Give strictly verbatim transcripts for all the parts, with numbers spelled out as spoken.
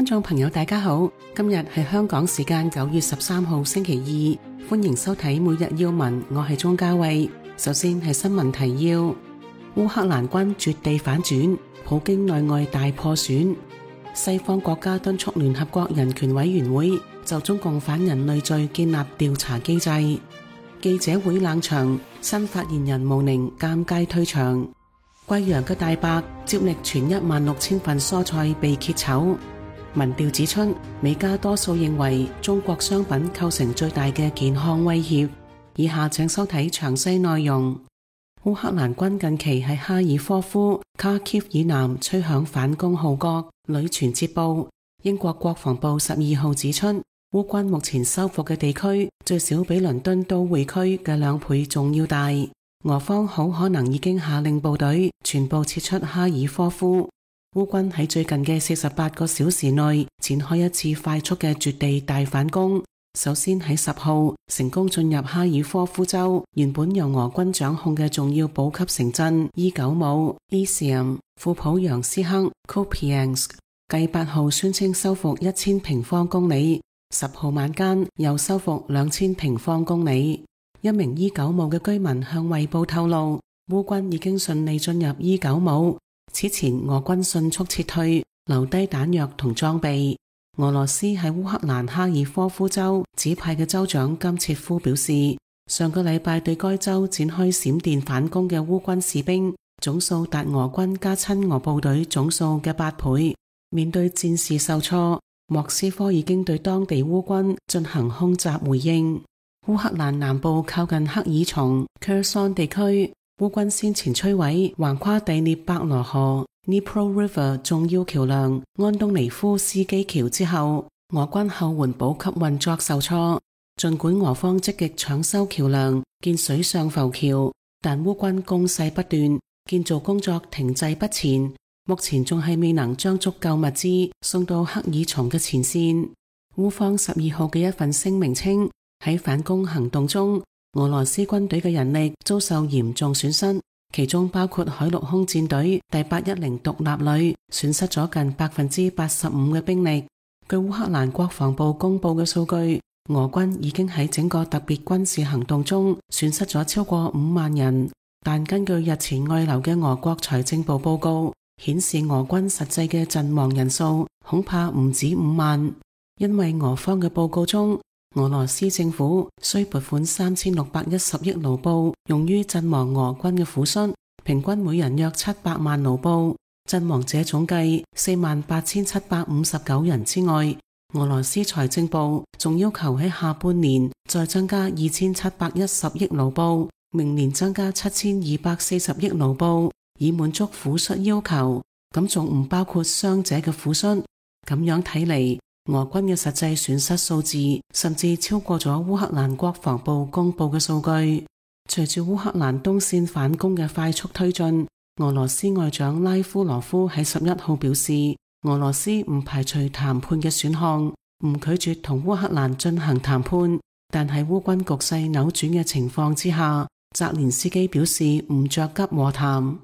觀眾朋友大家好，今日係香港時間九月十三號星期二，歡迎收睇每日要聞，我係鍾嘉慧。首先係新聞提要：烏克蘭軍絕地反轉，普京內外大破損。西方國家敦促聯合國人權委員會就中共反人類罪建立調查機制。記者會冷場，新發言人毛寧尷尬退場。貴陽嘅大伯接力傳一萬六千份蔬菜被揭醜。民調指出，美加多數認為中國商品構成最大嘅健康威脅。以下請收睇詳細內容。烏克蘭軍近期喺哈爾科夫、卡基夫以南吹響反攻號角，屢傳捷報。英國國防部十二號指出，烏軍目前收復嘅地區最少比倫敦都會區嘅兩倍仲要大。俄方好可能已經下令部隊全部撤出哈爾科夫。烏軍喺最近嘅四十八個小時內展開一次快速嘅絕地大反攻。首先喺十號成功進入哈爾科夫州原本由俄軍掌控嘅重要補給城鎮伊久姆、Izium、庫普揚斯克、Kupiansk， 繼八號宣稱收復一千平方公里，十號晚間又收復兩千平方公里。一名伊久姆嘅居民向衛報透露，烏軍已經順利進入伊久姆。此前俄軍迅速撤退，留低彈藥同裝備。俄羅斯喺烏克蘭哈爾科夫州指派嘅州長金切夫表示，上個禮拜對該州展開閃電反攻嘅烏軍士兵總數達俄軍加親俄部隊總數嘅八倍。面對戰事受挫，莫斯科已經對當地烏軍進行空襲回應。烏克蘭南部靠近克爾松、Kherson 地區，烏軍先前摧毀橫跨第聶伯羅河 Dnipro River 重要橋梁安東尼夫斯基橋之後，俄軍後援補給運作受挫。盡管俄方積極搶修橋梁、建水上浮橋，但烏軍攻勢不斷，建造工作停滯不前，目前仲係未能將足夠物資送到克爾松嘅前線。烏方十二號嘅一份聲明稱，喺反攻行動中，俄羅斯軍隊嘅人力遭受嚴重損失，其中包括海陸空戰隊第八一零獨立旅損失咗近百分之八十五嘅兵力。據烏克蘭國防部公布嘅數據，俄軍已經喺整個特別軍事行動中損失咗超過五萬人，但根據日前外流嘅俄國財政部報告顯示，俄軍實際嘅陣亡人數恐怕唔止五萬，因為俄方嘅報告中，俄羅斯政府需撥款三千六百一十億盧布用於陣亡俄軍嘅撫恤，平均每人約七百萬盧布。陣亡者總計四萬八千七百五十九人之外，俄羅斯財政部仲要求喺下半年再增加二千七百一十億盧布，明年增加七千二百四十億盧布，以滿足撫恤要求。咁仲唔包括傷者嘅撫恤。咁樣睇嚟，俄軍嘅實際損失數字甚至超過咗烏克蘭國防部公布嘅數據。隨住烏克蘭東線反攻嘅快速推進，俄羅斯外長拉夫羅夫喺十一號表示，俄羅斯唔排除談判嘅選項，唔拒絕同烏克蘭進行談判，但喺烏軍局勢扭轉嘅情況之下，澤連斯基表示唔着急和談。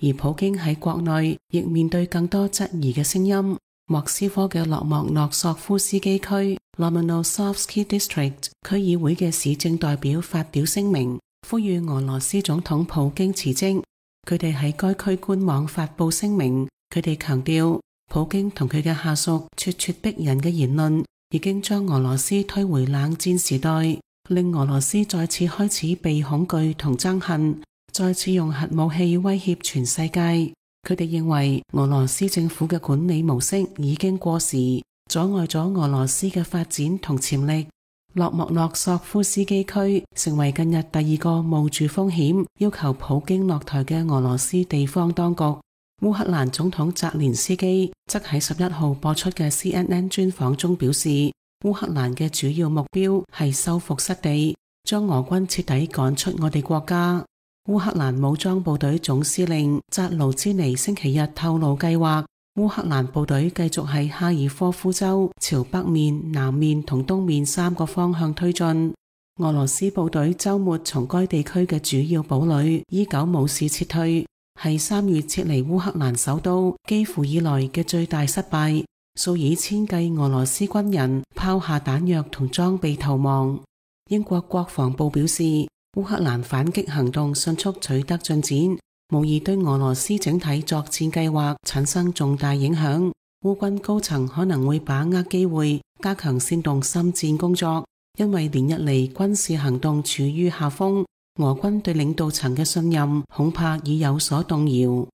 而普京喺國內亦面對更多質疑嘅聲音。莫斯科嘅洛莫諾索夫斯基區 Lomonosovsky District 區議會嘅市政代表發表聲明，呼籲俄羅斯總統普京辭職。佢哋喺該區官網發布聲明，佢哋強調普京同佢嘅下屬咄咄逼人嘅言論已經將俄羅斯推回冷戰時代，令俄羅斯再次開始被恐懼同憎恨，再次用核武器威脅全世界。佢哋認為俄羅斯政府嘅管理模式已經過時，阻礙咗俄羅斯嘅發展同潛力。洛莫諾索夫斯基區成為近日第二個冒住風險要求普京落台嘅俄羅斯地方當局。烏克蘭總統澤連斯基則喺十一號播出嘅 C N N 專訪中表示，烏克蘭嘅主要目標係收復失地，將俄軍徹底趕出我哋國家。烏克蘭武裝部隊總司令扎盧茲尼星期日透露計劃，烏克蘭部隊繼續喺哈爾科夫州朝北面、南面同東面三個方向推進。俄羅斯部隊周末從該地區嘅主要堡壘伊久姆市撤退，係三月撤離烏克蘭首都基輔以來嘅最大失敗。數以千計俄羅斯軍人拋下彈藥同裝備逃亡。英國國防部表示，烏克蘭反擊行動迅速取得進展，無疑對俄羅斯整體作戰計劃產生重大影響。烏軍高層可能會把握機會加強煽動心戰工作，因為連日嚟軍事行動處於下風，俄軍對領導層嘅信任恐怕已有所動搖。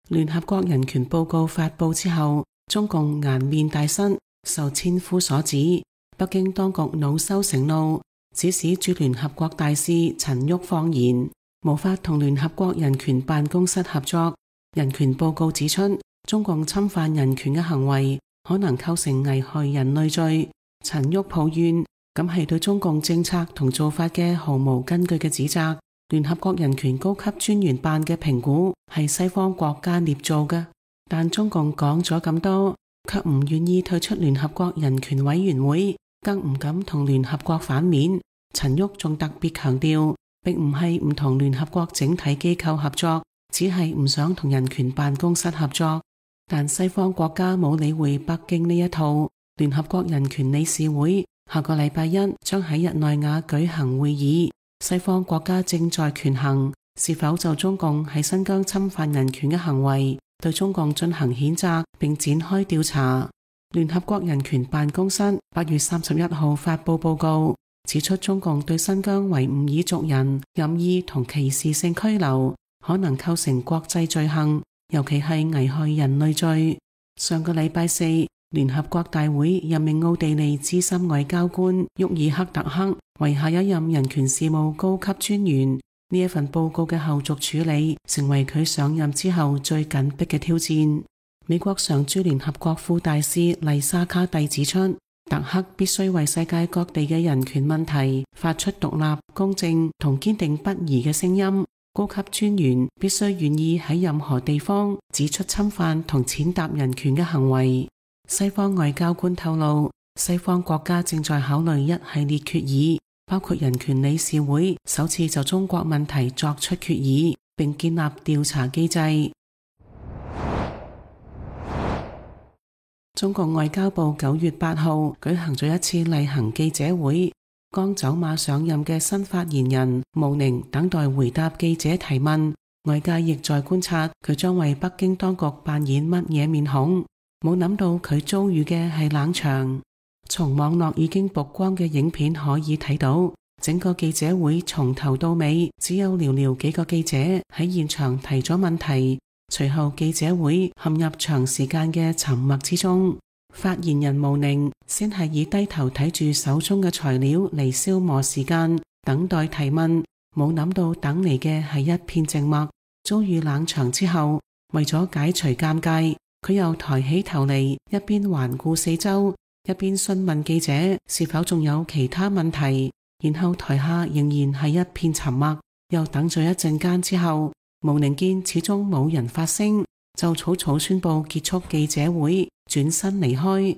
聯合國人權報告發佈之後，中共顏面大失，受千夫所指。北京當局惱羞成怒，指使駐聯合國大使陳旭放言，無法同聯合國人權辦公室合作。人權報告指出，中共侵犯人權嘅行為可能構成危害人類罪。陳旭抱怨，咁係對中共政策同做法嘅毫無根據嘅指責。聯合國人權高級專員辦嘅評估係西方國家捏造嘅，但中共講咗咁多，卻唔願意退出聯合國人權委員會，更唔敢同聯合國反面。陳旭仲特別強調，並唔係唔同聯合國整體機構合作，只係唔想同人權辦公室合作。但西方國家冇理會北京呢一套。聯合國人權理事會下個禮拜一將喺日內瓦舉行會議，西方國家正在權衡是否就中共喺新疆侵犯人權嘅行為對中共進行譴責並展開調查。聯合國人權辦公室八月三十一號發佈報告，指出中共對新疆維吾爾族人任意同歧視性拘留可能構成國際罪行，尤其係危害人類罪。上個禮拜四，聯合國大會任命奧地利資深外交官沃爾克特克為下一任人權事務高級專員。呢一份報告嘅後續處理成為佢上任之後最緊迫嘅挑戰。美國常駐聯合國副大使麗莎卡蒂指出，特克必須為世界各地嘅人權問題發出獨立、公正同堅定不移嘅聲音。高級專員必須願意喺任何地方指出侵犯同踐踏人權嘅行為。西方外交官透露，西方國家正在考慮一系列決議，包括人權理事會首次就中國問題作出決議，並建立調查機制。中共外交部九月八號舉行咗一次例行記者會，剛走馬上任嘅新發言人毛寧等待回答記者提問，外界亦在觀察佢將為北京當局扮演乜嘢面孔。冇諗到佢遭遇嘅係冷場。從網絡已經曝光嘅影片可以睇到，整個記者會從頭到尾只有寥寥幾個記者喺現場提咗問題，隨後記者會陷入長時間嘅沉默之中。發言人毛寧先係以低頭睇住手中嘅材料嚟消磨時間，等待提問，冇諗到等嚟嘅係一片靜默。遭遇冷場之後，為咗解除尷尬，佢又抬起頭嚟，一邊環顧四周，一邊詢問記者是否仲有其他問題。然後台下仍然係一片沉默，又等咗一陣間之後，毛寧見始終冇人發聲，就草草宣布結束記者會，轉身離開。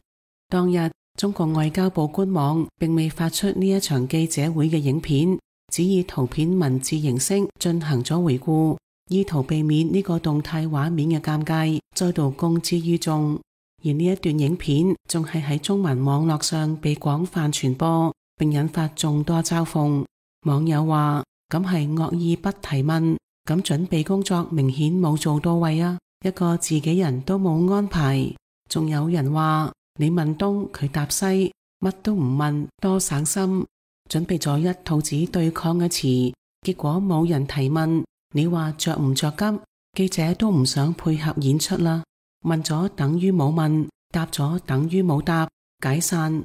當日中國外交部官網並未發出呢一場記者會嘅影片，只以圖片文字形式進行咗回顧，意圖避免呢個動態畫面嘅尷尬再度公之於眾。而呢一段影片仲係喺中文網絡上被廣泛傳播，並引發眾多嘲諷。網友話：咁係惡意不提問，咁準備工作明顯冇做到位啊，一個自己人都冇安排。仲有人話：你問東佢答西，乜都唔問，多省心。準備咗一套子對抗嘅詞，結果冇人提問。你話着唔着急？記者都唔想配合演出啦。問咗等於冇問，答咗等於冇答，解散。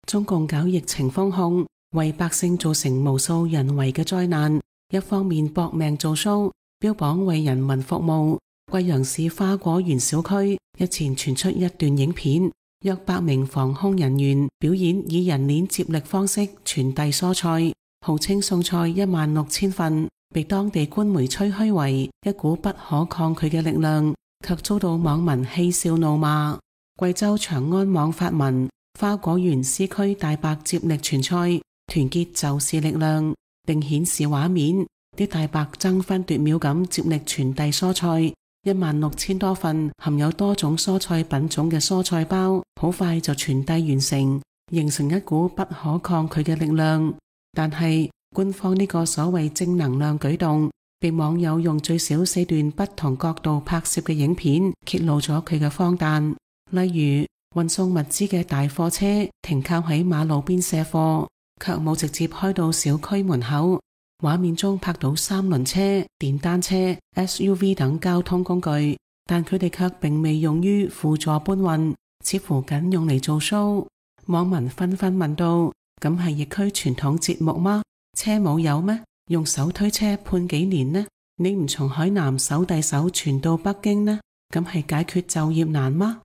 中共搞疫情封控，為百姓造成無數人為嘅災難。一方面搏命做 show，標榜為人民服務。貴陽市花果園小區日前傳出一段影片，約百名防控人員表演以人鏈接力方式傳遞蔬菜，號稱送菜一萬六千份，被當地官媒吹噓為一股不可抗拒嘅力量，卻遭到網民嬉笑怒罵。貴州長安網發文：花果園 C 區大白接力傳菜，團結就是力量，並顯示畫面，啲大白爭分奪秒咁接力傳遞蔬菜，一萬六千多份含有多種蔬菜品種嘅蔬菜包，好快就傳遞完成，形成一股不可抗拒嘅力量。但係官方呢個所謂正能量舉動，被網友用最少四段不同角度拍攝嘅影片揭露咗佢嘅荒誕。例如運送物資嘅大貨車停靠喺馬路邊卸貨，卻冇直接開到小區門口。畫面中拍到三輪車、電單車、S U V 等交通工具，但佢哋卻並未用於輔助搬運，似乎僅用嚟做 show。網民紛紛問道：咁係疫區傳統節目嗎？車冇油咩？用手推車判幾年呢？你唔從海南手遞手傳到北京呢？咁係解決就業難嗎？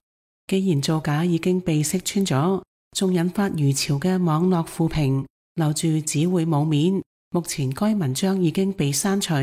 既然造假已經被識穿咗，仲引發如潮嘅網絡負評，留住只會冇面。目前該文章已經被刪除，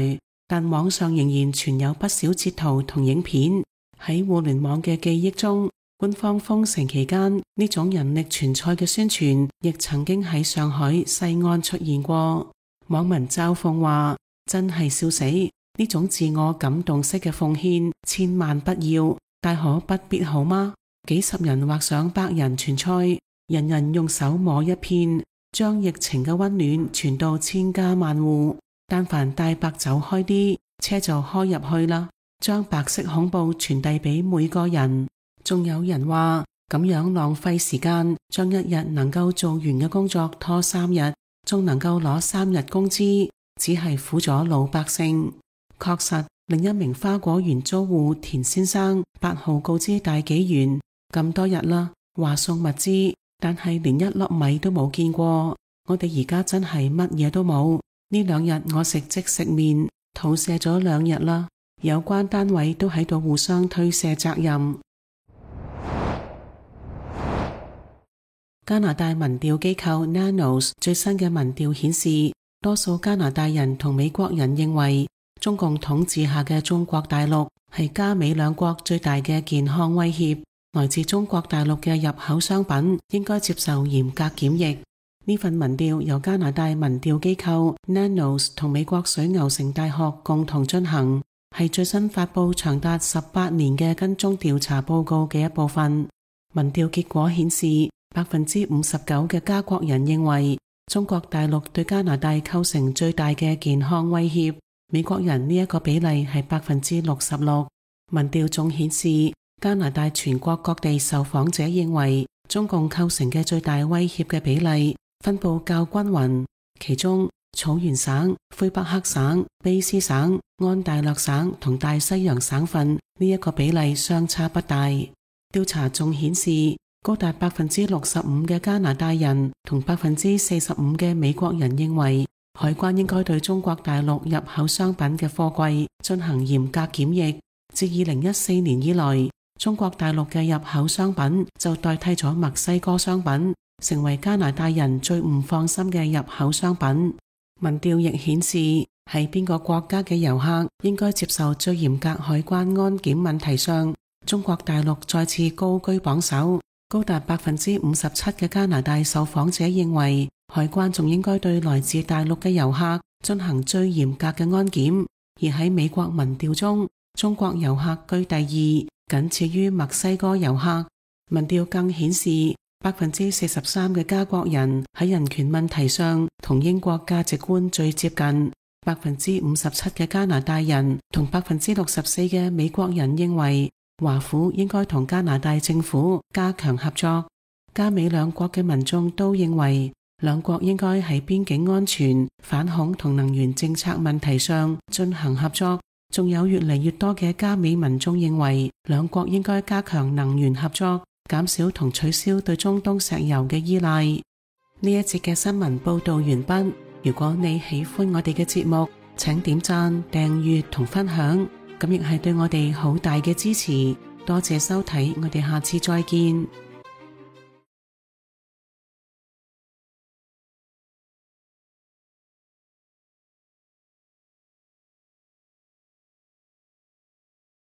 但網上仍然存有不少截圖同影片。喺互聯網嘅記憶中，官方封城期間呢種人力傳菜嘅宣傳，亦曾經喺上海西安出現過。網民嘲諷話：真係笑死！呢種自我感動式嘅奉獻，千萬不要，大可不必好嗎？幾十人或上百人傳菜，人人用手摸一片，將疫情嘅溫暖傳到千家萬戶。但凡大白走開啲，車就開入去啦，將白色恐怖傳遞俾每個人。仲有人話咁樣浪費時間，將一日能夠做完嘅工作拖三日，仲能夠攞三日工資，只係苦咗老百姓。確實，另一名花果園租戶田先生八號告知大紀元，咁多日啦，話送物資，但係連一粒米都冇見過。我哋而家真係乜嘢都冇。呢兩日我食即食麵，肚瀉咗兩日啦。有關單位都喺度互相推卸責任。加拿大民調機構 Nanos 最新嘅民調顯示，多數加拿大人同美國人認為，中共統治下嘅中國大陸係加美兩國最大嘅健康威脅。來自中國大陸嘅入口商品應該接受嚴格檢疫。呢份民調由加拿大民調機構 Nanos 同美國水牛城大學共同進行，係最新發佈長達十八年嘅跟蹤調查報告嘅一部分。民調結果顯示，百分之五十九嘅加國人認為中國大陸對加拿大構成最大嘅健康威脅。美國人呢一個比例係百分之六十六。民調仲顯示，加拿大全國各地受訪者認為中共構成嘅最大威脅嘅比例分布較均勻，其中草原省、魁北克省、卑斯省、安大略省同大西洋省份呢一個比例相差不大。調查仲顯示，高達百分之六十五嘅加拿大人同百分之四十五嘅美國人認為海關應該對中國大陸入口商品嘅貨櫃進行嚴格檢疫。自二零一四年以來，中國大陸嘅入口商品就代替咗墨西哥商品，成為加拿大人最唔放心嘅入口商品。民調亦顯示，喺邊個國家嘅遊客應該接受最嚴格海關安檢問題上，中國大陸再次高居榜首。高達百分之五十七嘅加拿大受訪者認為，海關仲應該對來自大陸嘅遊客進行最嚴格嘅安檢。而喺美國民調中，中國遊客居第二，僅次於墨西哥遊客。民調更顯示，百分之四十三嘅加國人喺人權問題上同英國價值觀最接近。百分之五十七嘅加拿大人同百分之六十四嘅美國人認為，華府應該同加拿大政府加強合作。加美兩國嘅民眾都認為，兩國應該喺邊境安全、反恐同能源政策問題上進行合作。仲有越嚟越多嘅加美民眾認為，兩國應該加強能源合作，減少同取消對中東石油嘅依賴。呢一節嘅新聞報道完畢。如果你喜歡我哋嘅節目，請點讚、訂閱同分享。咁亦係對我哋好大嘅支持，多謝收睇，我哋下次再見。